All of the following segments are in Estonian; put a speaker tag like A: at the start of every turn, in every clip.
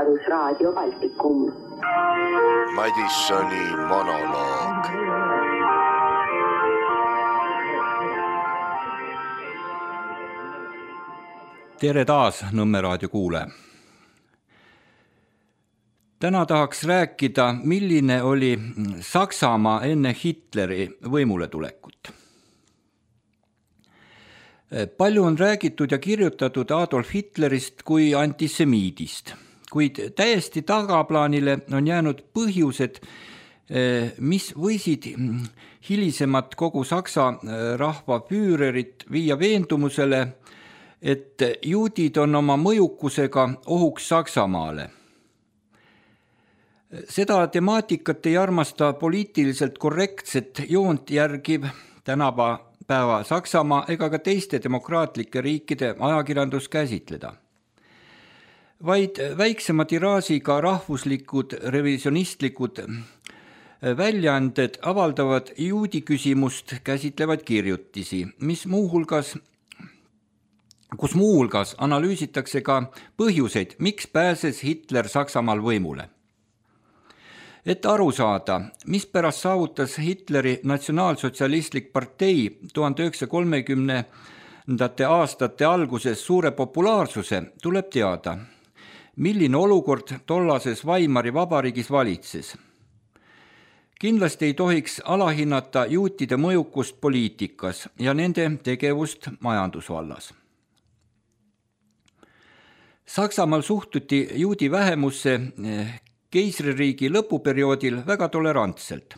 A: Vabadusraadio Baltikum.
B: Madissoni monoloog.
C: Tere taas Nõmme raadio kuule. Täna tahaks rääkida, milline oli Saksamaa enne Hitleri võimule tulekut. Palju on räägitud ja kirjutatud Adolf Hitlerist kui antisemiidist, kuid täiesti tagaplaanile on jäänud põhjused, mis võisid hilisemat kogu Saksa rahva füürerit viia veendumusele, et juudid on oma mõjukusega ohuks Saksamaale. Seda temaatikat ei armasta poliitiliselt korrektset joont järgiv tänapäeva Saksamaa ega ka teiste demokraatlike riikide ajakirjandus käsitleda. Vaid väiksema tiraažiga rahvuslikud revisionistlikud väljaanded avaldavad juudi küsimust käsitlevaid kirjutisi, kus muuhulgas analüüsitakse ka põhjuseid, miks pääses Hitler Saksamaal võimule. Et aru saada, mispärast saavutas Hitleri natsionaalsotsialistlik partei 1930. Aastate alguses suure populaarsuse, tuleb teada, milline olukord tollases Weimari vabariigis valitses. Kindlasti ei tohiks alahinnata juutide mõjukust poliitikas ja nende tegevust majandusvallas. Saksamaal suhtuti juudi vähemusse keisririigi lõpuperioodil väga tolerantselt.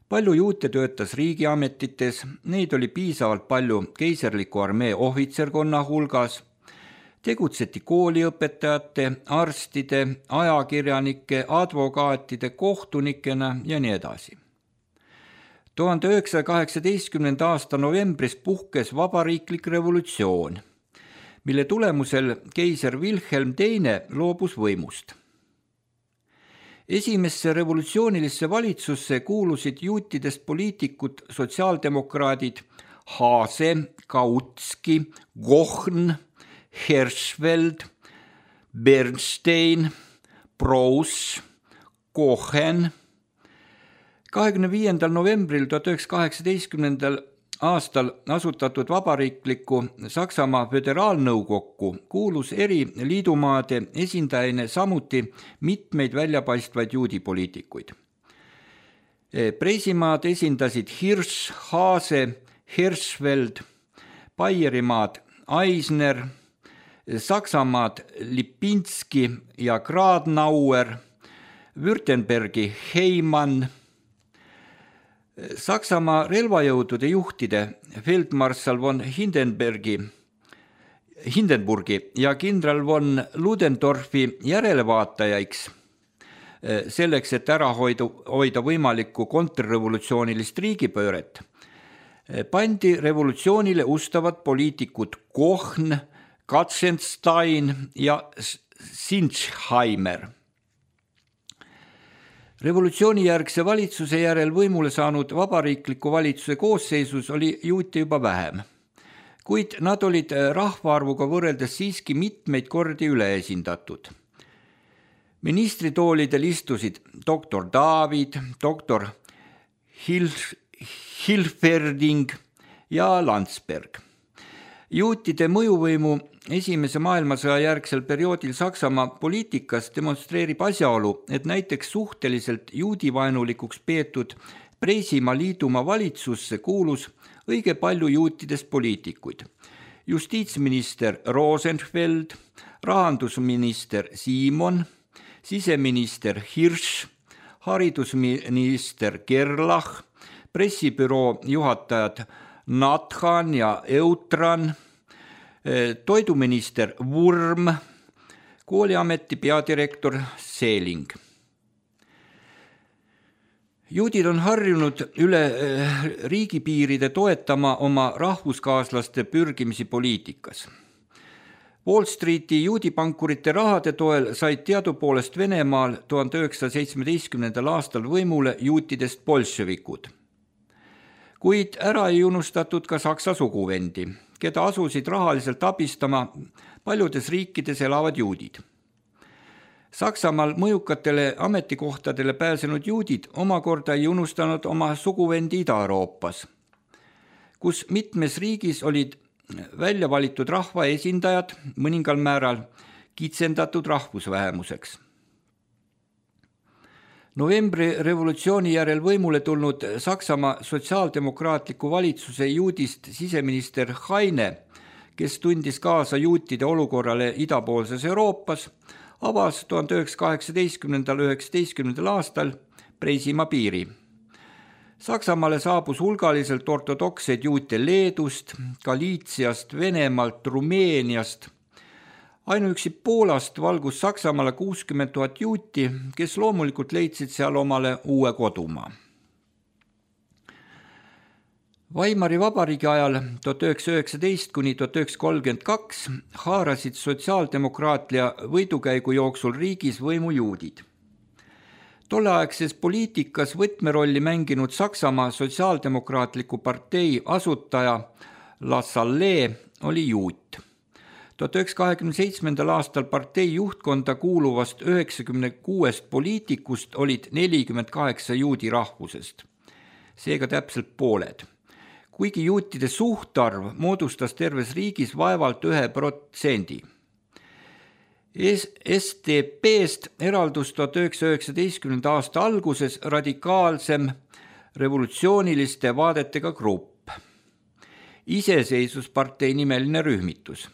C: Palju juute töötas riigiametites, neid oli piisavalt palju keiserliku armee ohvitserkonna hulgas, tegutseti kooliõpetajate, arstide, ajakirjanike, advokaatide, kohtunikena ja nii edasi. 1918. aasta novembris puhkes vabariiklik revolutsioon, mille tulemusel keiser Wilhelm II loobus võimust. Esimesse revolutsioonilisse valitsusse kuulusid juutidest poliitikud sotsiaaldemokraadid Haase, Kautski, Gochn, Hirschfeld, Bernstein, Preuss, Kochen. 25. novembril 1918. aastal asutatud vabariikliku Saksamaa föderaalnõukokku kuulus eri liidumaade esindajana samuti mitmeid väljapaistvaid juudipoliitikuid. Preisimaad esindasid Hirsch, Haase, Hirschfeld, Baierimaad Eisner, Saksamaad Lipinski ja Gradnauer, Württembergi Heimann, Saksamaa relvajõudude juhtide feldmarssal von Hindenburgi ja kindral von Ludendorfi järelevaatajaiks, selleks, et ära hoida võimalikku kontrrevolutsioonilist riigipööret, pandi revolutsioonile ustavad poliitikud Kochn, Katzenstein ja Sinchheimer. Revolutsioonijärgse valitsuse järel võimule saanud vabariikliku valitsuse koosseisus oli juute juba vähem, kuid nad olid rahvaarvuga võrreldes siiski mitmeid kordi üleesindatud. Ministritoolidel istusid doktor David, doktor Hilferding ja Landsberg. Juutide mõjuvõimu Esimese maailmasõja järgsel perioodil Saksamaa poliitikas demonstreerib asjaolu, et näiteks suhteliselt juudivaenulikuks peetud Preisimaa liidumaa valitsusse kuulus õige palju juutidest poliitikuid. Justiitsminister Rosenfeld, rahandusminister Simon, siseminister Hirsch, haridusminister Gerlach, pressibüroo juhatajad Nathan ja Eutran, toiduminister Wurm, kooliameti peadirektor Seeling. Juudid on harjunud üle riigipiiride toetama oma rahvuskaaslaste pürgimisi poliitikas. Wall Streeti juudipankurite rahade toel said teadupoolest Venemaal 1917. aastal võimule juutidest bolševikud. Kuid ära ei unustatud ka Saksa suguvendi, keda asusid rahaliselt abistama paljudes riikides elavad juudid. Saksamaal mõjukatele ametikohtadele pääsenud juudid omakorda ei unustanud oma suguvendi Ida-Euroopas, kus mitmes riigis olid välja valitud rahva esindajad mõningal määral kitsendatud rahvusvähemuseks. Novembri revolutsiooni järel võimule tulnud Saksamaa sotsiaaldemokraatliku valitsuse juudist siseminister Heine, kes tundis kaasa juutide olukorrale idapoolses Euroopas, avas 1918–19 aastal Preisimaa piiri. Saksamaale saabus hulgaliselt ortodokseid juute Leedust, Galiitsiast, Venemaalt, Rumeeniast. Ainuüksi Poolast valgus Saksamaale 60 000 juuti, kes loomulikult leidsid seal omale uue kodumaa. Weimari vabariigi ajal 1919–1932 haarasid sotsiaaldemokraatia võidukäigu jooksul riigis võimu juudid. Tolleaegses poliitikas võtmerolli mänginud Saksamaa sotsiaaldemokraatliku partei asutaja La Salle oli juut. 1927. aastal partei juhtkonda kuuluvast 96 poliitikust olid 48 juudi rahvusest, seega täpselt pooled. Kuigi juutide suhtarv moodustas terves riigis vaevalt 1%. SDP-st eraldus 1919. aasta alguses radikaalsem revolutsiooniliste vaadetega grupp, Iseseisvuspartei nimeline rühmitus,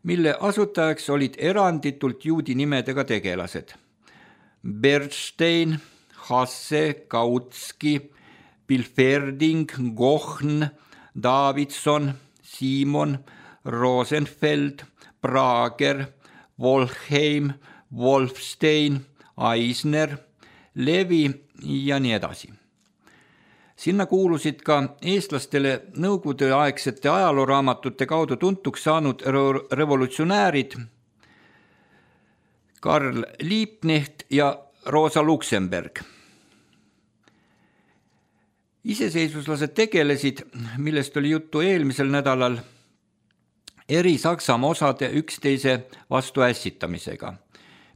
C: mille asutajaks olid eranditult juudi nimedega tegelased. Bernstein, Hasse, Kautski, Bilferding, Gochn, Davidson, Simon, Rosenfeld, Prager, Wolfheim, Wolfstein, Eisner, Levi ja nii edasi. Sinna kuulusid ka eestlastele nõukogudeaegsete ajalooraamatute kaudu tuntuks saanud revolutsionäärid Karl Liebknecht ja Rosa Luxemburg. Iseseisvuslased tegelesid, millest oli juttu eelmisel nädalal, eri Saksamaa osade üksteise vastu ässitamisega,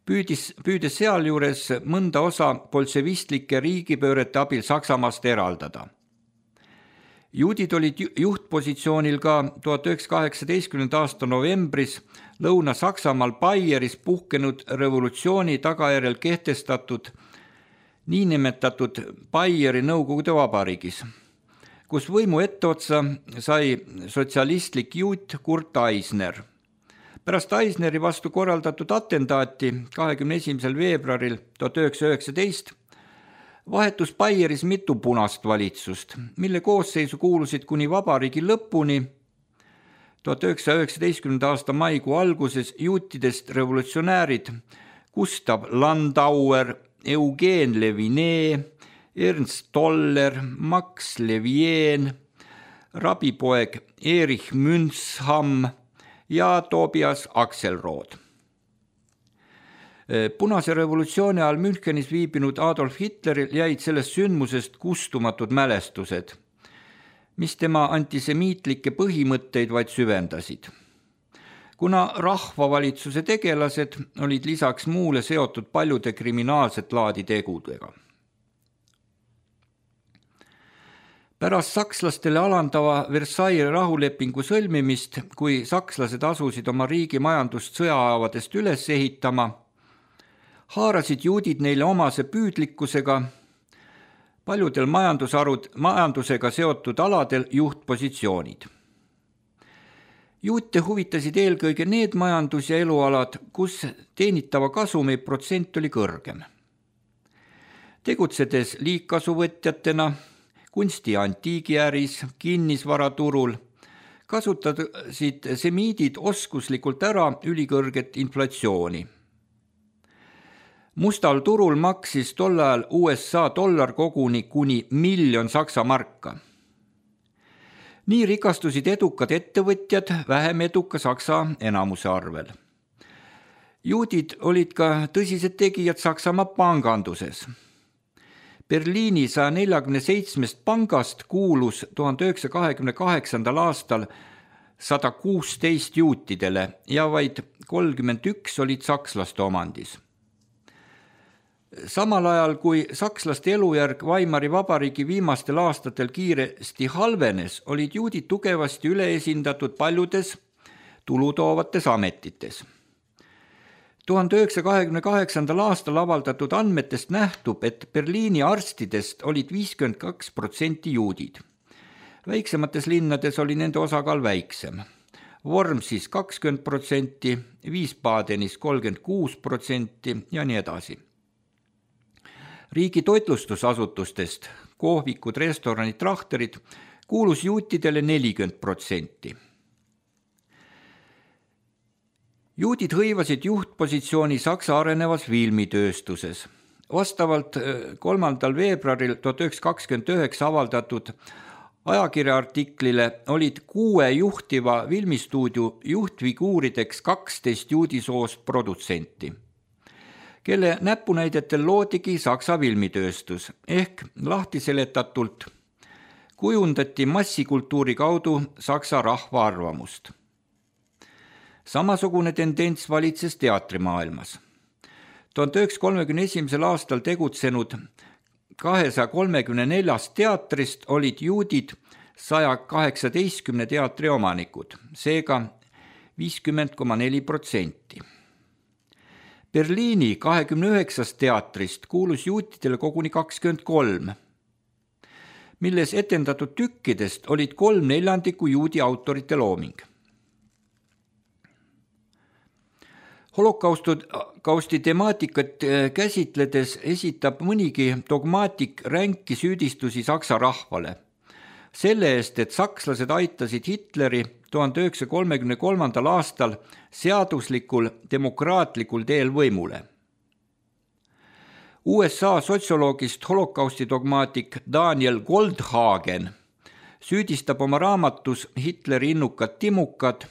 C: püüdes sealjuures mõnda osa bolševistlike riigipöörete abil Saksamaast eraldada. Juudid olid juhtpositsioonil ka 1918. aasta novembris Lõuna-Saksamaal Baieris puhkenud revolutsiooni tagajärjel kehtestatud niinimetatud Baieri Nõukogude Vabariigis, kus võimu etteotsa sai sotsialistlik juut Kurt Eisner. Pärast Eisneri vastu korraldatud atentaati 21. veebruaril 1919 vahetus Baieris mitu punast valitsust, mille koosseisu kuulusid kuni vabariigi lõpuni 1919. aasta maikuu alguses juutidest revolutsionäärid Gustav Landauer, Eugen Leviné, Ernst Toller, Max Levien, rabipoeg Erich Münzham ja Tobias Axelrod. Punase revolutsiooni ajal Münchenis viibinud Adolf Hitleril jäid sellest sündmusest kustumatud mälestused, mis tema antisemiitlikke põhimõtteid vaid süvendasid. Kuna rahvavalitsuse tegelased olid lisaks muule seotud paljude kriminaalset laadi tegudega. Pärast sakslastele alandava Versailles rahulepingu sõlmimist, kui sakslased asusid oma riigi majandust sõjaavadest üles ehitama, haarasid juudid neile omase püüdlikkusega paljudel majandusega seotud aladel juhtpositsioonid. Juute huvitasid eelkõige need majandus- ja elualad, kus teenitava kasumi protsent oli kõrgem. Tegutsedes liigkasuvõtjatena, kunsti- ja antiigiäris, kinnisvaraturul, kasutasid semiidid oskuslikult ära ülikõrget inflatsiooni. Mustal turul maksis tol ajal USA dollar koguni kuni 1 miljon Saksa marka. Nii rikastusid edukad ettevõtjad vähem eduka Saksa enamuse arvel. Juudid olid ka tõsised tegijad Saksamaa panganduses. Berliini 147 pangast kuulus 1928. aastal 116 juutidele ja vaid 31 olid sakslaste omandis. Samal ajal, kui sakslaste elujärg Weimari Vabariigi viimastel aastatel kiiresti halvenes, olid juudid tugevasti üleesindatud paljudes tulutoovates ametites. 1928. aastal avaldatud andmetest nähtub, et Berliini arstidest olid 52% juudid. Väiksemates linnades oli nende osakaal väiksem. Wormsis 20%, Wiesbadenis 36% ja nii edasi. Riigi toitlustusasutustest, kohvikud, restoranid, trahterid, kuulus juutidele 40%. Juudid hõivasid juhtpositsiooni Saksa arenevas filmitööstuses. Vastavalt 3. veebruaril 1929 avaldatud ajakirja artiklile olid 6 juhtiva filmistuudio juhtfiguurideks 12 juudisoost produtsenti, kelle näpunäidetel loodigi Saksa filmitööstus ehk lahtiseletatult kujundati massikultuuri kaudu Saksa rahva arvamust. Samasugune tendents valitses teatrimaailmas. 1931. aastal tegutsenud 234 teatrist olid juudid 118 teatri omanikud, seega 50,4%. Berliini 29 teatrist kuulus juutidele koguni 23, milles etendatud tükkidest olid 3/4 juudi autorite looming. Holokausti temaatikat käsitledes esitab mõnigi dogmaatik ränki süüdistusi Saksa rahvale. Selle eest, et sakslased aitasid Hitleri 1933. aastal seaduslikul demokraatlikul teel võimule. USA sotsioloogist holokausti dogmaatik Daniel Goldhagen süüdistab oma raamatus Hitleri innukad timukad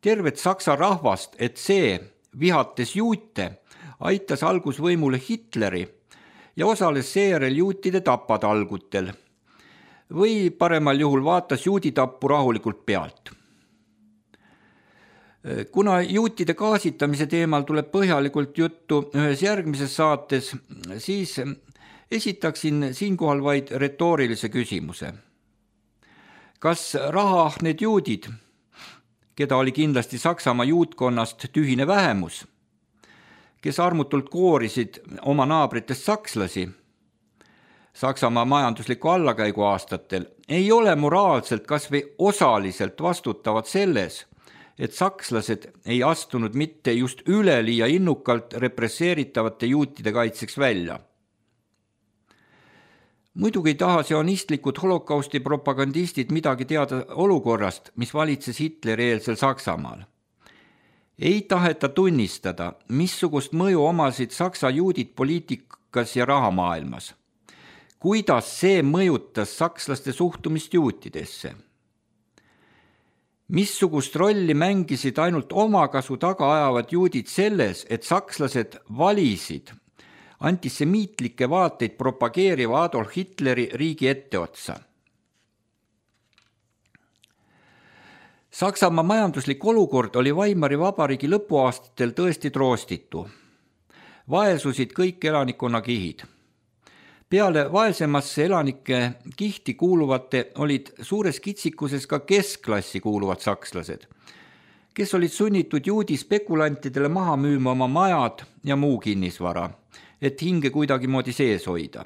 C: tervet Saksa rahvast, et see, vihates juute, aitas algusvõimule Hitleri ja osales seejärel juutide tapatalgutel või paremal juhul vaatas juuditappu rahulikult pealt. Kuna juutide gaasitamise teemal tuleb põhjalikult juttu ühes järgmises saates, siis esitaksin siinkohal vaid retoorilise küsimuse. Kas rahaahneid juudid, keda oli kindlasti Saksamaa juutkonnast tühine vähemus, kes armutult koorisid oma naabritest sakslasi Saksamaa majandusliku allakäigu aastatel, ei ole moraalselt kas või osaliselt vastutavad selles, et sakslased ei astunud mitte just üleliia innukalt represseeritavate juutide kaitseks välja. Muidugi ei taha sionistlikud holokausti propagandistid midagi teada olukorrast, mis valitses Hitleri-eelsel Saksamaal. Ei taheta tunnistada, missugust mõju omasid Saksa juudid poliitikas ja rahamaailmas. Kuidas see mõjutas sakslaste suhtumist juutidesse? Missugust rolli mängisid ainult omakasu taga ajavad juudid selles, et sakslased valisid antisemiitlikke vaateid propageeriva Adolf Hitleri riigi etteotsa. Saksamaa majanduslik olukord oli Weimari Vabariigi lõpuaastatel tõesti troostitu. Vaesusid kõik elanikkonna kihid. Peale vaesemasse elanike kihti kuuluvate olid suures kitsikuses ka keskklassi kuuluvad sakslased, kes olid sunnitud juudi spekulantidele maha müüma oma majad ja muu kinnisvara, et hinge kuidagimoodi sees hoida.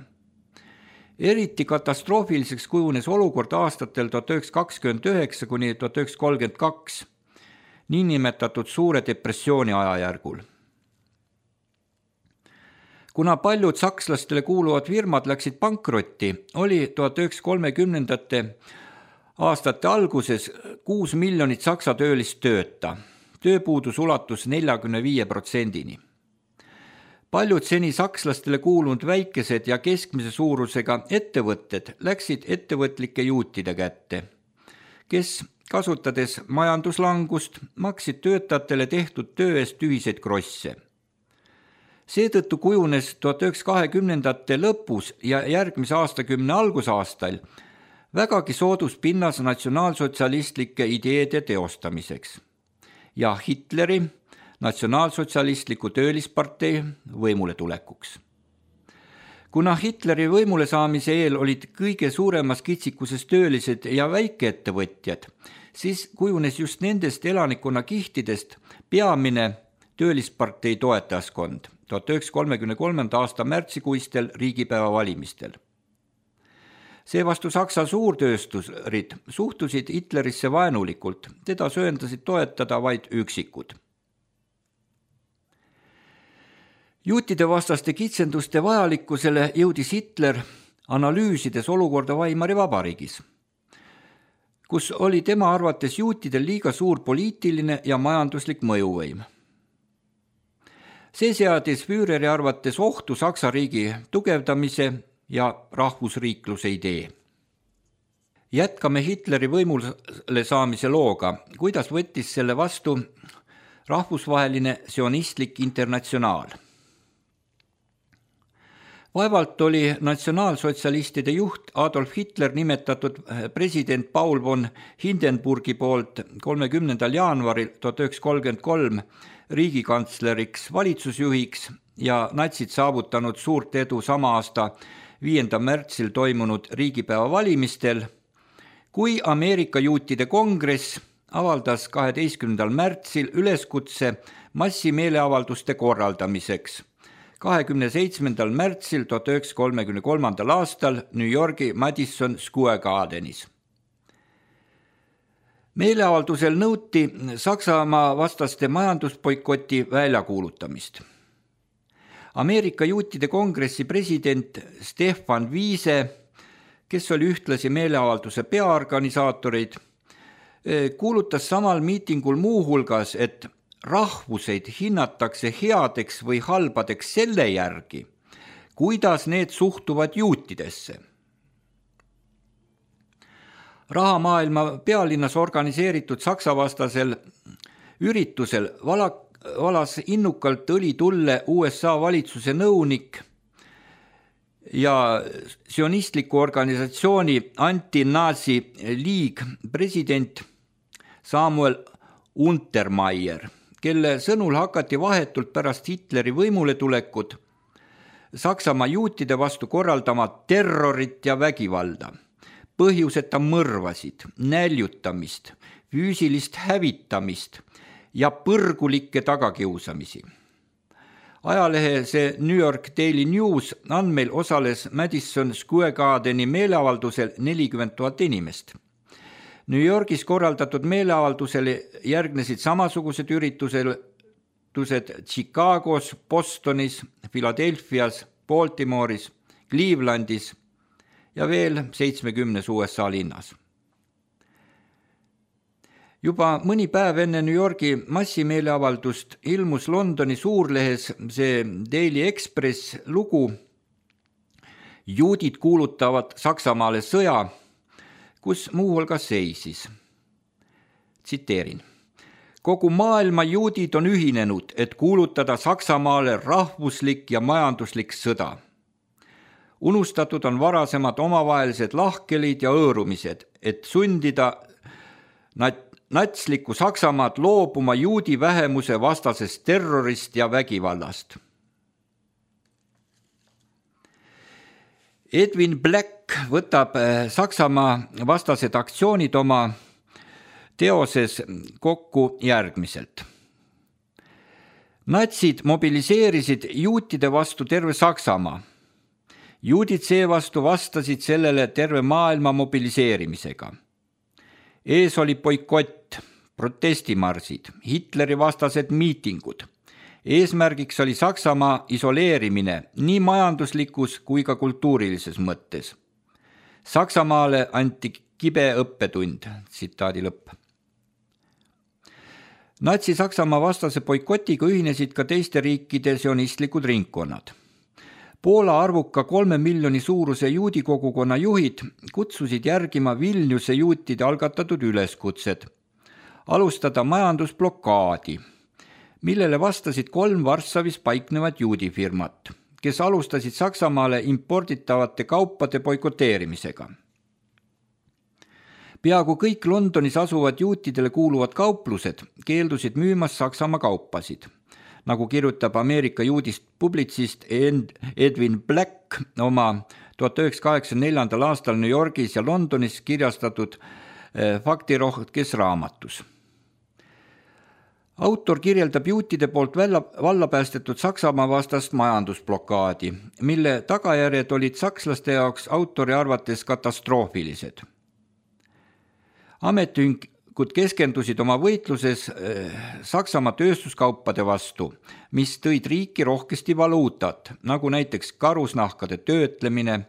C: Eriti katastroofiliseks kujunes olukord aastatel 1929 kuni 1932, niinimetatud suure depressiooni ajajärgul. Kuna paljud sakslastele kuuluvad firmad läksid pankrotti, oli 1930. aastate alguses 6 miljonit saksa töölist tööta. Tööpuudus ulatus 45%-ni. Paljud seni sakslastele kuulunud väikesed ja keskmise suurusega ettevõtted läksid ettevõtlike juutide kätte, kes, kasutades majanduslangust, maksid töötajatele tehtud töö eest ühiseid krosse. Seetõttu kujunes 1920. lõpus ja järgmise aastakümne algusaastail vägagi soodus pinnas natsionaalsotsialistlike ideede teostamiseks ja Hitleri natsionaalsotsialistliku töölispartei võimule tulekuks. Kuna Hitleri võimule saamise eel olid kõige suuremas kitsikuses töölised ja väikeettevõtjad, siis kujunes just nendest elanikkonna kihtidest peamine töölispartei toetajaskond 1933. aasta märtsikuistel riigipäeva valimistel. Seevastu Saksa suurtöösturid suhtusid Hitlerisse vaenulikult, teda söandasid toetada vaid üksikud. Juutide vastaste kitsenduste vajalikkusele jõudis Hitler analüüsides olukorda Weimari vabariigis, kus oli tema arvates juutidel liiga suur poliitiline ja majanduslik mõjuvõim. See seadis Führeri arvates ohtu Saksa riigi tugevdamise ja rahvusriikluse idee. Jätkame Hitleri võimule saamise looga, kuidas võttis selle vastu rahvusvaheline sionistlik internatsionaal. Vaevalt oli natsionaalsotsialistide juht Adolf Hitler nimetatud president Paul von Hindenburgi poolt 30. jaanuaril 1933 riigikantsleriks valitsusjuhiks ja natsid saavutanud suurt edu sama aasta 5. märtsil toimunud riigipäeva valimistel, kui Ameerika juutide kongress avaldas 12. märtsil üleskutse massimeeleavalduste korraldamiseks 27. märtsil 1933. aastal New Yorgi Madison Square Gardenis. Meeleavaldusel nõuti Saksamaa vastaste majandusboikoti väljakuulutamist. Ameerika juutide kongressi president Stefan Wiese, kes oli ühtlasi meeleavalduse peaorganisaatorid, kuulutas samal miitingul muu hulgas, et rahvuseid hinnatakse headeks või halbadeks selle järgi, kuidas need suhtuvad juutidesse. Rahamaailma pealinnas organiseeritud saksavastasel üritusel valas innukalt õlitulle USA valitsuse nõunik ja sionistliku organisatsiooni Anti-Nazi League president Samuel Untermeier, kelle sõnul hakati vahetult pärast Hitleri võimuletulekut Saksamaa juutide vastu korraldama terrorit ja vägivalda, põhjuseta mõrvasid, näljutamist, füüsilist hävitamist ja põrgulikke tagakiusamisi. Ajalehe see New York Daily News andmeil osales Madison Square Gardeni meeleavaldusel 40 000 inimest. New Yorgis korraldatud meeleavaldusele järgnesid samasugused üritused Chicagos, Bostonis, Philadelphias, Baltimore'is, Clevelandis ja veel 70 USA linnas. Juba mõni päev enne New Yorgi massimeeleavaldust ilmus Londoni suurlehes see Daily Express lugu Juudid kuulutavad Saksamaale sõja, kus muu hulgas seisis. Tsiteerin. Kogu maailma juudid on ühinenud, et kuulutada Saksamaale rahvuslik ja majanduslik sõda. Unustatud on varasemad omavahelised lahkelid ja õõrumised, et sundida natslikku Saksamaad loobuma juudi vähemuse vastasest terrorist ja vägivallast. Edwin Black võtab Saksamaa vastased aktsioonid oma teoses kokku järgmiselt. Natsid mobiliseerisid juutide vastu terve Saksamaa. Juudid seevastu vastasid sellele terve maailma mobiliseerimisega. Ees oli boikott, protestimarsid, Hitleri vastased miitingud. Eesmärgiks oli Saksamaa isoleerimine nii majanduslikus kui ka kultuurilises mõttes. Saksamaale anti kibe õppetund, tsitaadi lõpp. Natsi-Saksamaa vastase boikotiga ühinesid ka teiste riikide sionistlikud ringkonnad. Poola arvuka 3 miljoni suuruse juudi kogukonna juhid kutsusid järgima Vilniuse juutide algatatud üleskutsed, alustada majandusblokaadi, millele vastasid 3 Varssavis paiknevad juudifirmat, kes alustasid Saksamaale imporditavate kaupade boikoteerimisega. Peaaegu kõik Londonis asuvad juutidele kuuluvad kauplused keeldusid müümas Saksamaa kaupasid. Nagu kirjutab Ameerika juudist publitsist Edwin Black, Clark oma 1984. aastal New Yorgis ja Londonis kirjastatud faktirohkes raamatus. Autor kirjeldab juutide poolt valla päästetud Saksamaa vastast majandusblokaadi, mille tagajärjed olid sakslaste jaoks autori arvates katastroofilised. Ametiühingud keskendusid oma võitluses Saksamaa tööstuskaupade vastu, mis tõid riiki rohkesti valuutat, nagu näiteks karusnahkade töötlemine.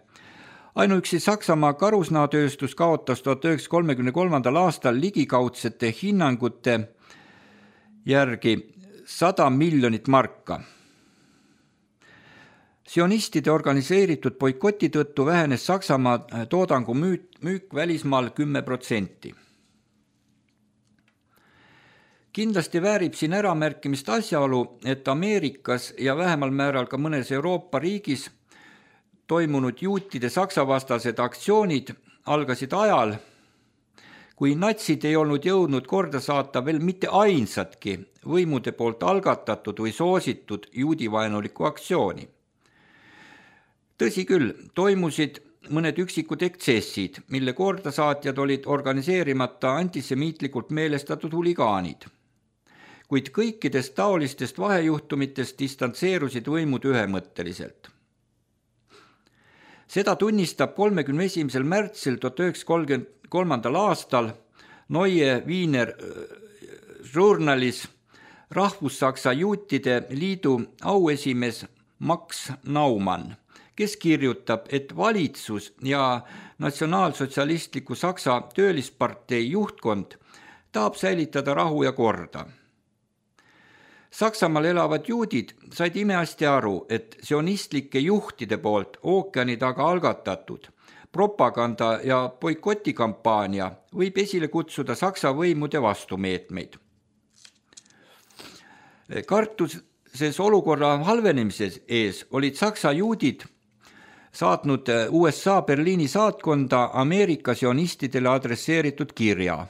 C: Ainuüksi Saksamaa karusnahatööstus kaotas 1933. aastal ligikaudsete hinnangute järgi 100 miljonit marka. Sionistide organiseeritud boikoti tõttu vähenes Saksamaa toodangu müük välismaal 10%. Kindlasti väärib siin äramärkimist asjaolu, et Ameerikas ja vähemal määral ka mõnes Euroopa riigis toimunud juutide saksavastased aktsioonid algasid ajal, kui natsid ei olnud jõudnud korda saata veel mitte ainsatki võimude poolt algatatud või soositud juudivaenulikku aktsiooni. Tõsi küll, toimusid mõned üksikud eksessid, mille kordasaatjad olid organiseerimata antisemiitlikult meelestatud huligaanid. Kuid kõikidest taolistest vahejuhtumitest distantseerusid võimud ühemõtteliselt. Seda tunnistab 31. märtsil 1933. aastal Neue Wiener Journalis Rahvussaksa juutide liidu auesimees Max Naumann, kes kirjutab, et valitsus ja natsionaalsotsialistliku Saksa töölispartei juhtkond tahab säilitada rahu ja korda. Saksamaal elavad juudid said imehästi aru, et sionistlike juhtide poolt ookeani taga algatatud propaganda- ja boikotikampaania võib esile kutsuda Saksa võimude vastumeetmeid. Kartuses olukorra halvenemises ees olid Saksa juudid saatnud USA Berliini saatkonda Ameerika sionistidele adresseeritud kirja,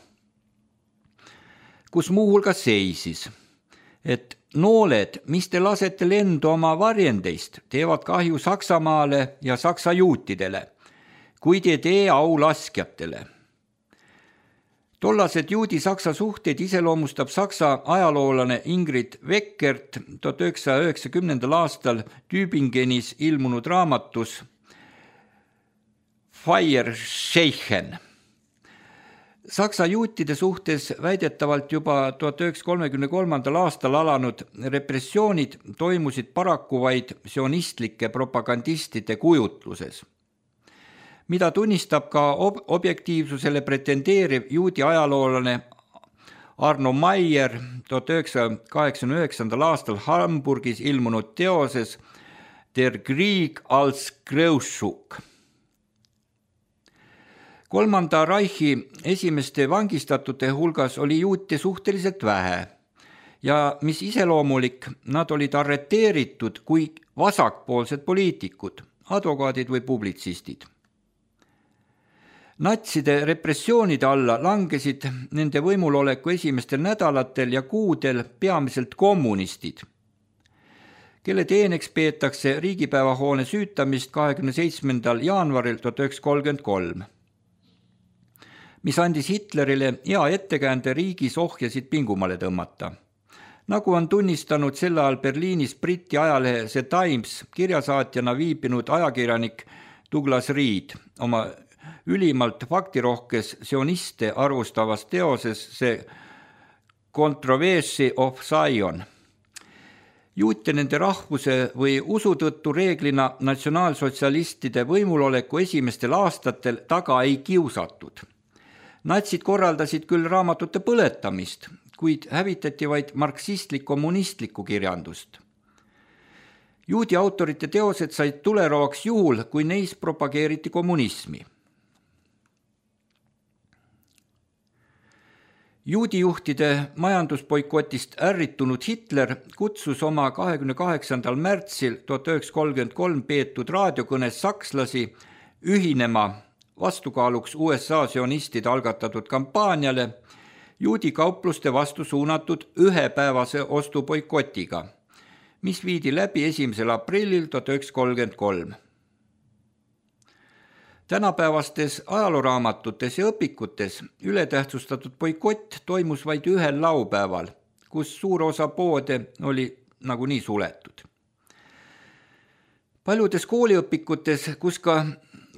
C: kus muuhulgas seisis, et nooled, mis te lasete lendu oma varjendeist, teevad kahju Saksamaale ja Saksa juutidele, kuid ei tee au laskjatele. Tollased juudi-saksa suhteid iseloomustab Saksa ajaloolane Ingrid Weckert 1990. aastal Tübingenis ilmunud raamatus Feierscheichen. Saksa juutide suhtes väidetavalt juba 1933. aastal alanud repressioonid toimusid paraku vaid sionistlike propagandistide kujutluses, mida tunnistab ka objektiivsusele pretendeeriv juudi ajaloolane Arno Maier 1989. aastal Hamburgis ilmunud teoses Der Krieg als Kreuzzug. Kolmanda Reichi esimeste vangistatute hulgas oli juute suhteliselt vähe ja mis iseloomulik, nad olid arreteeritud kui vasakpoolsed poliitikud, advokaadid või publitsistid. Natside repressioonide alla langesid nende võimuloleku esimestel nädalatel ja kuudel peamiselt kommunistid, kelle teeneks peetakse riigipäevahoone süütamist 27. jaanuaril 1933. mis andis Hitlerile hea ettekäände riigis ohjasid pingumale tõmmata. Nagu on tunnistanud sel ajal Berliinis Briti ajalehe The Times kirjasaatjana viibinud ajakirjanik Douglas Reed oma ülimalt faktirohkes sioniste arvustavas teoses The Controversy of Zion. Juute nende rahvuse või usu tõttu reeglina natsionaalsotsialistide võimuloleku esimestel aastatel taga ei kiusatud. Natsid korraldasid küll raamatute põletamist, kuid hävitati vaid marksistlik-kommunistlikku kirjandust. Juudi autorite teosed said tuleroaks juhul, kui neis propageeriti kommunismi. Juudijuhtide majandusboikotist ärritunud Hitler kutsus oma 28. märtsil 1933 peetud raadiokõnes sakslasi ühinema vastukaaluks USA sionistide algatatud kampaaniale juudi kaupluste vastu suunatud ühepäevase ostuboikotiga, mis viidi läbi 1. aprillil 1933. Tänapäevastes ajalooraamatutes ja õpikutes ületähtsustatud boikott toimus vaid ühel laupäeval, kus suur osa poode oli nagunii suletud. Paljudes kooliõpikutes, kus ka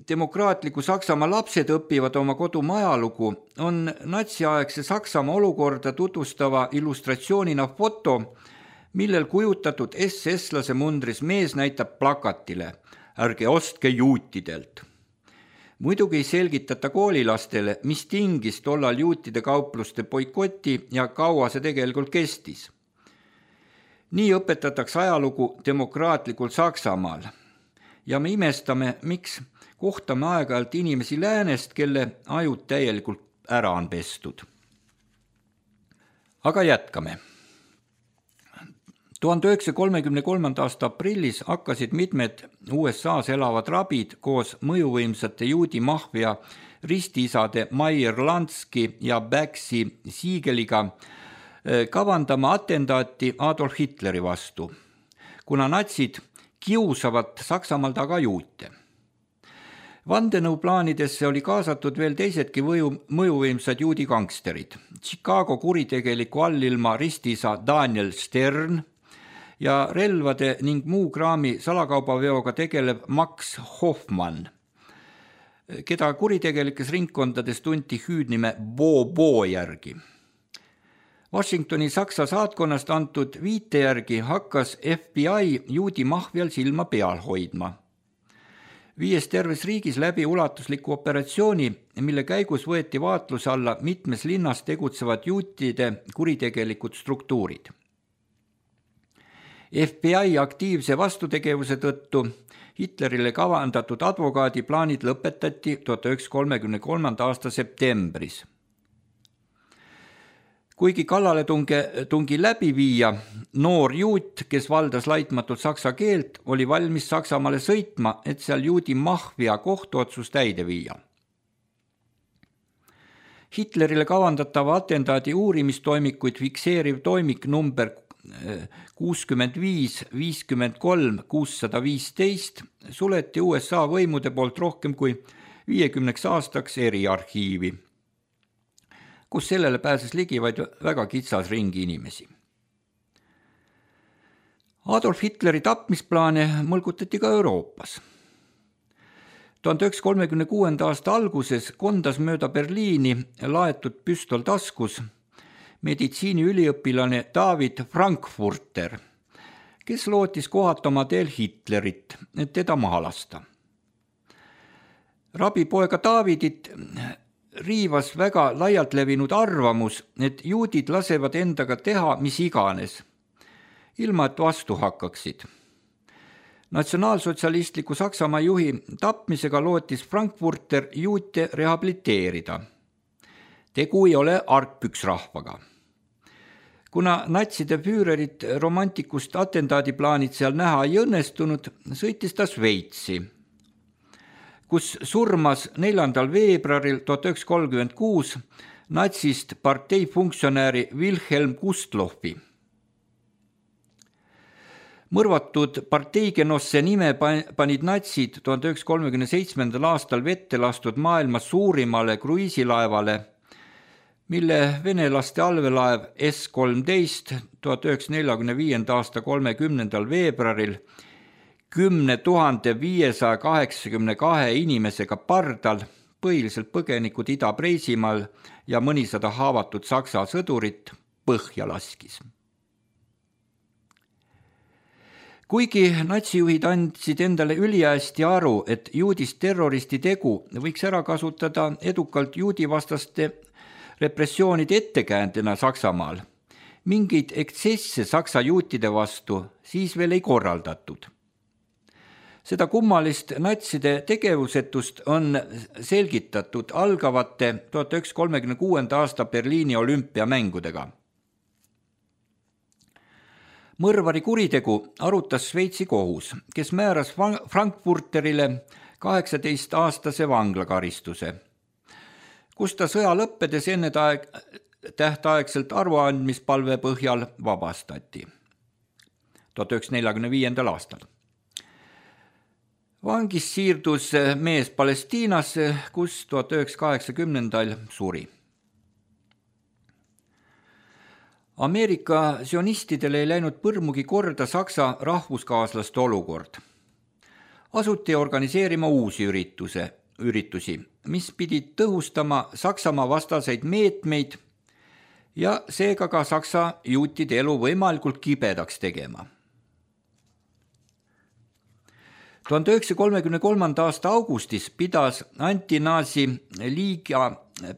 C: demokraatliku Saksamaa lapsed õpivad oma kodumaa ajalugu, on natsiaegse Saksamaa olukorda tutvustava illustratsioonina foto, millel kujutatud SS-lase mundris mees näitab plakatile: ärge ostke juutidelt. Muidugi ei selgitata koolilastele, mis tingis tollal juutide kaupluste boikoti ja kaua see tegelikult kestis. Nii õpetatakse ajalugu demokraatlikul Saksamaal. Ja me imestame, miks kohtame aeg-ajalt inimesi läänest, kelle ajud täielikult ära on pestud. Aga jätkame. 1933. aasta aprillis hakkasid mitmed USAs elavad rabid koos mõjuvõimsate juudi mahvia ristiisade Meyer Lansky ja Baxi Siegeliga kavandama atentaati Adolf Hitleri vastu, kuna natsid kiusavad Saksamaal taga juute. Vandenõuplaanidesse oli kaasatud veel teisedki mõjuvõimsad juudi gangsterid. Chicago kuritegeliku allilma ristiisa Daniel Stern ja relvade ning muu kraami salakaubaveoga tegelev Max Hoffmann, keda kuritegelikes ringkondades tunti hüüdnime Bo järgi. Washingtoni Saksa saatkonnast antud viite järgi hakkas FBI juudi mahvial silma peal hoidma. Viies terves riigis läbi ulatusliku operatsiooni, mille käigus võeti vaatluse alla mitmes linnas tegutsevad juutide kuritegelikud struktuurid. FBI aktiivse vastutegevuse tõttu Hitlerile kavandatud advokaadiplaanid lõpetati 1933. aasta septembris. Kuigi kallaletungi läbi viia, noor juut, kes valdas laitmatult saksa keelt, oli valmis Saksamaale sõitma, et seal juudi mahvia kohtuotsus täide viia. Hitlerile kavandatava atentaadi uurimistoimikuid fikseeriv toimik number 65-53-615 suleti USA võimude poolt rohkem kui 50 aastaks eriarhiivi, kus sellele pääses ligi vaid väga kitsas ringi inimesi. Adolf Hitleri tapmisplaane mõlgutati ka Euroopas. 1936. aasta alguses kondas mööda Berliini laetud püstol taskus meditsiiniüliõpilane David Frankfurter, kes lootis kohata oma teel Hitlerit, et teda maha lasta. Rabipoega Davidit riivas väga laialt levinud arvamus, et juudid lasevad endaga teha mis iganes, ilma et vastu hakkaksid. Natsionaalsotsialistliku Saksamaa juhi tapmisega lootis Frankfurter juute rehabiliteerida. Tegu ei ole argpüksrahvaga. Kuna natside füürerit romantikust atentaadiplaanid seal näha ei õnnestunud, sõitis ta Šveitsi, kus surmas 4. veebruaril 1936 natsist parteifunktsionääri Wilhelm Gustlofi. Mõrvatud parteigenosse nime panid natsid 1937. aastal vette lastud maailma suurimale kruiisilaevale, mille venelaste allveelaev S-13 1945. aasta 30. veebruaril 10 582 inimesega pardal, põhiliselt põgenikud Ida-Preisimaal ja mõnisada haavatud saksa sõdurit põhja laskis. Kuigi natsijuhid andsid endale ülihästi aru, et juudist terroristi tegu võiks ära kasutada edukalt juudivastaste repressioonide ettekäändena Saksamaal, mingeid eksesse saksa juutide vastu siis veel ei korraldatud. Seda kummalist natside tegevusetust on selgitatud algavate 1936. aasta Berliini olümpiamängudega. Mõrvari kuritegu arutas Šveitsi kohus, kes määras Frankfurterile 18-aastase vanglakaristuse, kus ta sõja lõppedes enne tähtaegselt arvuandmispalve põhjal vabastati 1945. aastal. Vangist siirdus mees Palestiinasse, kus 1980 suri. Ameerika sionistidele ei läinud põrmugi korda Saksa rahvuskaaslaste olukord. Asuti organiseerima uusi üritusi, mis pidid tõhustama Saksamaa vastaseid meetmeid ja seega ka Saksa juutide elu võimalikult kibedaks tegema. 1933. aasta augustis pidas Anti-Nazi liiga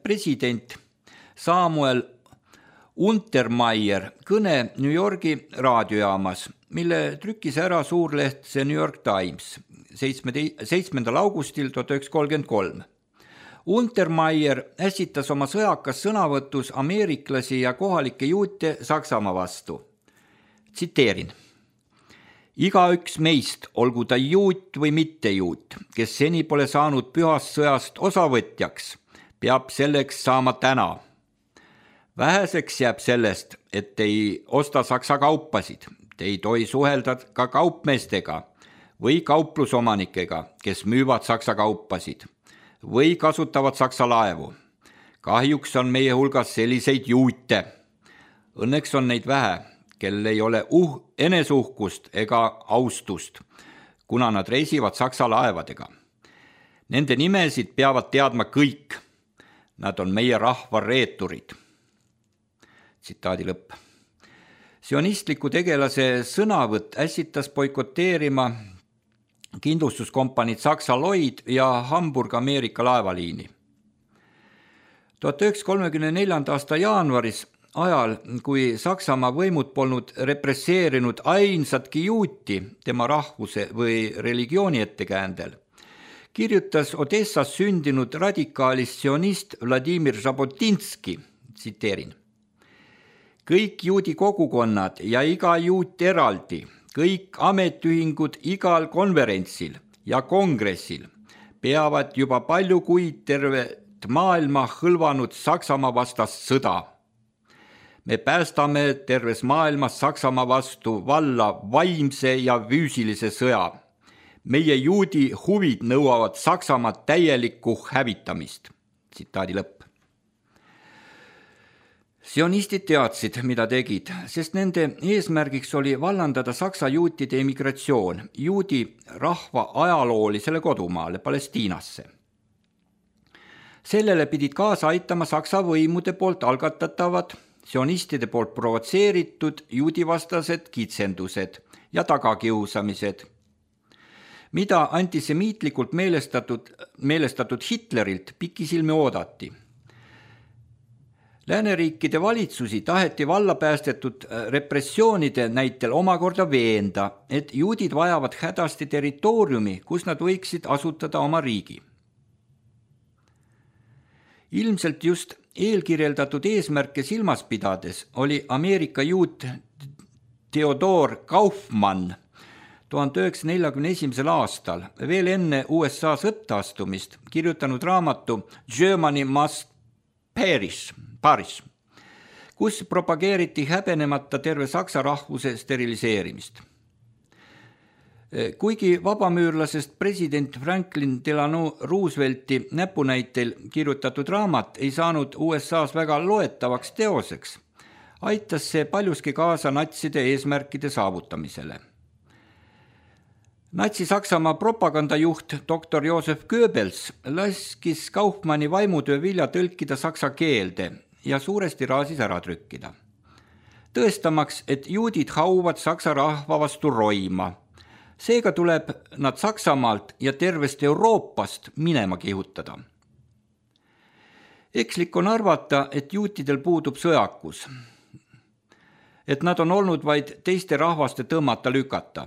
C: president Samuel Untermaier kõne New Yorgi raadiojaamas, mille trükkis ära suurleht The New York Times 7. augustil 1933. Untermaier ässitas oma sõjakas sõnavõtus ameeriklasi ja kohalikke juute Saksamaa vastu. Tsiteerin. Igaüks meist, olgu ta juut või mitte juut, kes seni pole saanud pühast sõjast osavõtjaks, peab selleks saama täna. Väheseks jääb sellest, et ei osta Saksa kaupasid, te ei tohi suhelda ka kaupmeestega või kauplusomanikega, kes müüvad Saksa kaupasid või kasutavad Saksa laevu. Kahjuks on meie hulgas selliseid juute. Õnneks on neid vähe, kel ei ole eneseuhkust ega austust, kuna nad reisivad Saksa laevadega. Nende nimesid peavad teadma kõik. Nad on meie rahva reeturid. Tsitaadi lõpp. Sionistliku tegelase sõnavõtt ässitas boikoteerima kindlustuskompaniid Saksa Lloyd ja Hamburg Ameerika laevaliini. 1934. aasta jaanuaris, ajal, kui Saksamaa võimud polnud represseerinud ainsatki juuti tema rahvuse või religiooni ettekäändel, kirjutas Odessas sündinud radikaalist sionist Vladimir Žabotinski, tsiteerin. Kõik juudi kogukonnad ja iga juut eraldi, kõik ametiühingud igal konverentsil ja kongressil peavad juba palju kuid tervet maailma hõlvanud Saksamaa vastast sõda. Me päästame terves maailmas Saksamaa vastu valla vaimse ja füüsilise sõja. Meie juudi huvid nõuavad Saksamaa täielikku hävitamist. Tsitaadi lõpp. Sionistid teadsid, mida tegid, sest nende eesmärgiks oli vallandada Saksa juutide emigratsioon juudi rahva ajaloolisele kodumaale Palestiinasse. Sellele pidid kaasa aitama Saksa võimude poolt algatatavad sionistide poolt provotseeritud juudivastased kitsendused ja tagakiusamised, mida antisemiitlikult meelestatud Hitlerilt pikisilmi oodati. Lääneriikide valitsusi taheti vallapäästetud repressioonide näitel omakorda veenda, et juudid vajavad hädasti territooriumi, kus nad võiksid asutada oma riigi. Ilmselt just eelkirjeldatud eesmärke silmas pidades oli Ameerika juut Theodor Kaufmann 1941. aastal veel enne USA sõtta astumist kirjutanud raamatu Germany Must Perish, kus propageeriti häbenemata terve saksa rahvuse steriliseerimist. Kuigi vabamüürlasest president Franklin Delano Roosevelti näpunäitel kirjutatud raamat ei saanud USA's väga loetavaks teoseks, aitas see paljuski kaasa natside eesmärkide saavutamisele. Natsi-Saksamaa propagandajuht dr. Josef Goebbels laskis Kaufmanni vaimutöö vilja tõlkida saksa keelde ja suuresti raasis ära trükkida. Tõestamaks, et juudid hauvad saksa rahva vastu roima. Seega tuleb nad Saksamaalt ja tervest Euroopast minema kihutada. Ekslik on arvata, et juutidel puudub sõjakus, et nad on olnud vaid teiste rahvaste tõmmata lükata.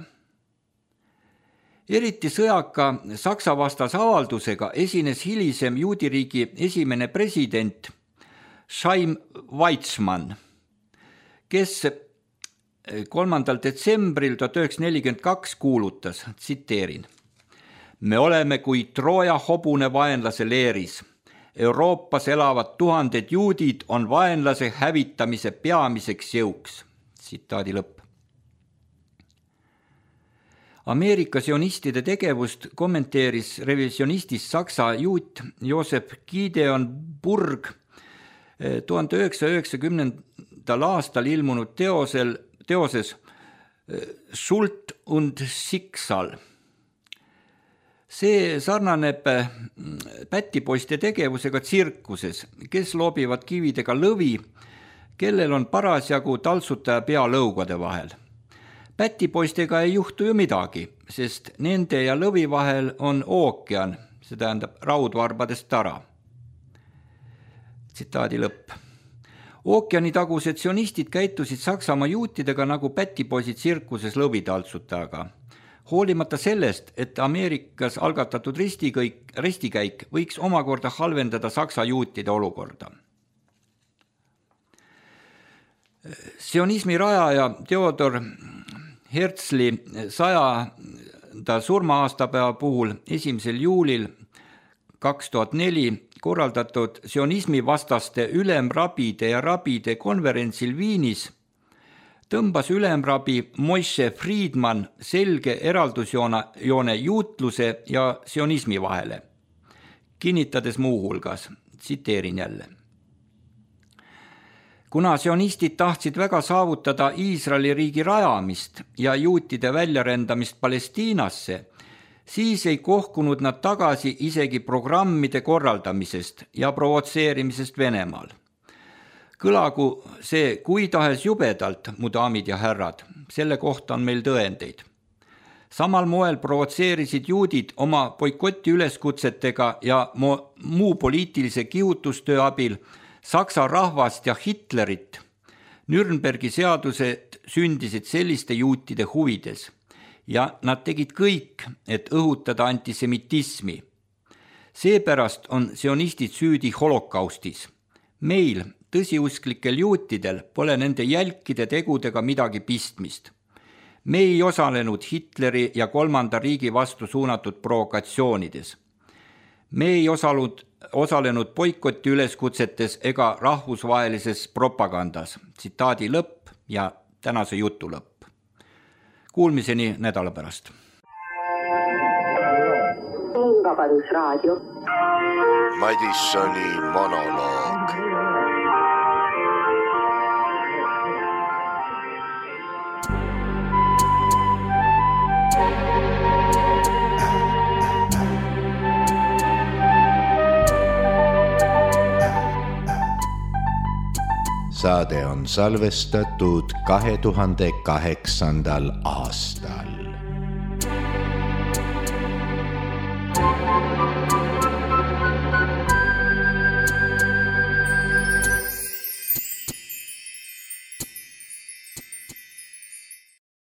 C: Eriti sõjaka Saksa vastas avaldusega esines hilisem juudiriigi esimene president Chaim Weizmann, kes 3. detsembril 1942 kuulutas, tsiteerin, me oleme kui Trooja hobune vaenlase leeris. Euroopas elavad tuhanded juudid on vaenlase hävitamise peamiseks jõuks. Tsitaadi lõpp. Ameerika sionistide tegevust kommenteeris revisionistist Saksa juut Josef Gideon Burg 1990. aastal ilmunud teoses Schuld und Schicksal. See sarnaneb pätipoiste tegevusega tsirkuses, kes loobivad kividega lõvi, kellel on parasjagu taltsutaja pea lõugade vahel. Pätipoistega ei juhtu ju midagi, sest nende ja lõvi vahel on ookean, see tähendab raudvarbadest tara. Tsitaadi lõpp. Ookeanitagused sionistid käitusid Saksamaa juutidega nagu pätipoisid tsirkuses lõvitaltsutajaga. Hoolimata sellest, et Ameerikas algatatud ristikäik võiks omakorda halvendada Saksa juutide olukorda. Sionismi rajaja Theodor Herzli 100. surma-aastapäeva puhul 1. juulil 2004 korraldatud sionismi vastaste ülemrabide ja rabide konverentsil Viinis tõmbas ülemrabi Moshe Friedman selge eraldusjoone juutluse ja sionismi vahele, kinnitades muuhulgas, tsiteerin jälle. Kuna sionistid tahtsid väga saavutada Iisraeli riigi rajamist ja juutide väljarendamist Palestiinasse, siis ei kohkunud nad tagasi isegi programmide korraldamisest ja provotseerimisest Venemaal. Kõlagu see kui tahes jubedalt, mu daamid ja härrad, selle kohta on meil tõendeid. Samal moel provotseerisid juudid oma boikoti üleskutsetega ja muu poliitilise kihutustöö abil Saksa rahvast ja Hitlerit. Nürnbergi seadused sündisid selliste juutide huvides ja nad tegid kõik, et õhutada antisemitismi. Seepärast on sionistid süüdi holokaustis. Meil, tõsiusklikel juutidel, pole nende jälkide tegudega midagi pistmist. Me ei osalenud Hitleri ja kolmanda riigi vastu suunatud provokatsioonides. Me ei osalenud boikoti üleskutsetes ega rahvusvahelises propagandas. Tsitaadi lõpp ja tänase jutu lõpp. Kuulmiseni nädala pärast.
A: Vabadusraadio.
B: Madissoni monoloog. Saade on salvestatud 2008. aastal.